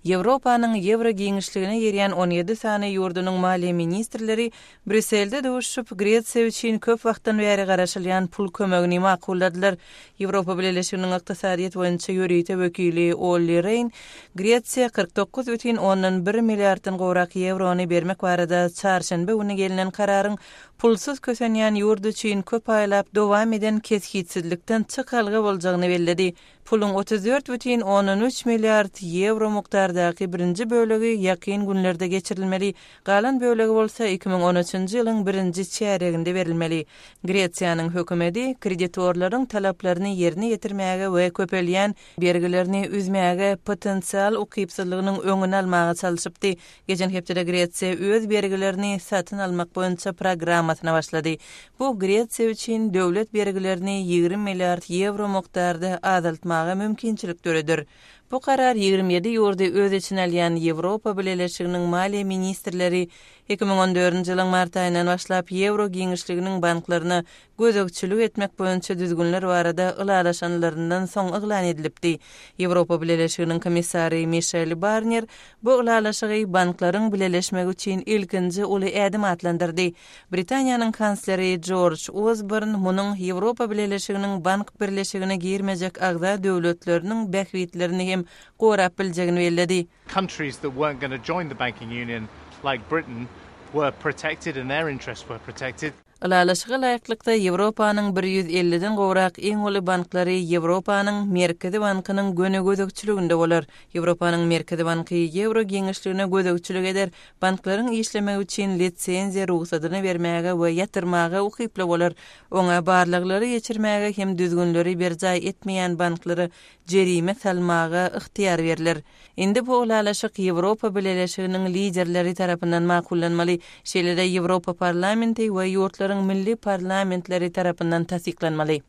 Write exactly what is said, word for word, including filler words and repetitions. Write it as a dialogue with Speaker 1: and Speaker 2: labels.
Speaker 1: Ýewropanyň ýewro giňişligine girýän on ýedi sany ýurdunyň maliýe ministrleri Brýusselde duşuşyp, Gresiýa üçin köp wagtdan bäri garaşylýan pul kömegini makulladylar. Ýewropa Bileleşiginiň ykdysadyýet boýunça ýörite wekili Olli Reýn Gresiýa kyrk dokuz bütin ondan bir milliarddan gowrak ýewrony bermek barada çarşenbe güni gelnen kararyň pulsuz kösenýän ýurt üçin köp aýlap dowam eden kesgitsizlikden çykalga boljagyny belledi. Puluň otuz dört bütin ondan üç milliard ýewro mukdardaky birinji bölegi ýakyn günlerde geçirilmeli, galan bölegi bolsa iki müň on üçünji ýylyň birinji çärýeginde berilmeli. Gresiýanyň hökümeti kreditorlaryň talaplaryny ýerine ýetirmäge we köpelýän bergilerini üzmäge potensial ukypsyzlygynyň öňüni almaga çalşypdy. Geçen hepdede Gresiýa öz bergilerini satyn almak boýunça programmasyna başlady. Bu Gresiýa üçin döwlet bergilerini ýigrimi milliard ýewro mukdarda azaltmaga mümkinçilik döreder. Bu karar ýigrimi ýedi ýurdy öz içine alýan Ýewropa Bileleşiginiň maliýe ministrleri iki müň on dördünji ýylyň mart aýyndan başlap ýewro giňişliginiň banklaryna gözegçilik etmek boýunça düzgünler barada ylalaşanlaryndan soň yglan edilipdi. Ýewropa Bileleşiginiň komissary Mişel Barnýer bu ylalaşygy banklaryň bileleşmegi üçin ilkinji uly ädim atlandyrdy. Britaniýanyň kansleri Jorj Osborn munuň Ýewropa Bileleşiginiň bank birleşigine girmejek agza döwletleriniň bähbitlerini hem gorap biljegini belledi.
Speaker 2: Countries that weren't gonna join the banking union, like Britain, were protected and their interests were protected.
Speaker 1: Ylalaşyga laýyklykda Ýewropanyň bir ýüz elliden gowrak iň uly banklary Ýewropanyň Merkezi bankynyň göni gözegçiliginde bolar. Ýewropanyň Merkezi banky ýewro giňişligine gözegçilik eder, banklaryň işlemegi üçin lisenziýa rugsadyny bermäge we ýatyrmaga ukyply bolar. Oňa barlaglary geçirmäge hem düzgünleri berjaý etmeýän banklara jerime salmaga ygtyýar berler. Indi bu ylalaşyk Ýewropa Bileleşiginiň liderleri tarapyndan makullanmaly, şeýle-de Ýewropa parlamenti we ýurtlaryň milli parlamentleri tarapyndan tassyklanmaly.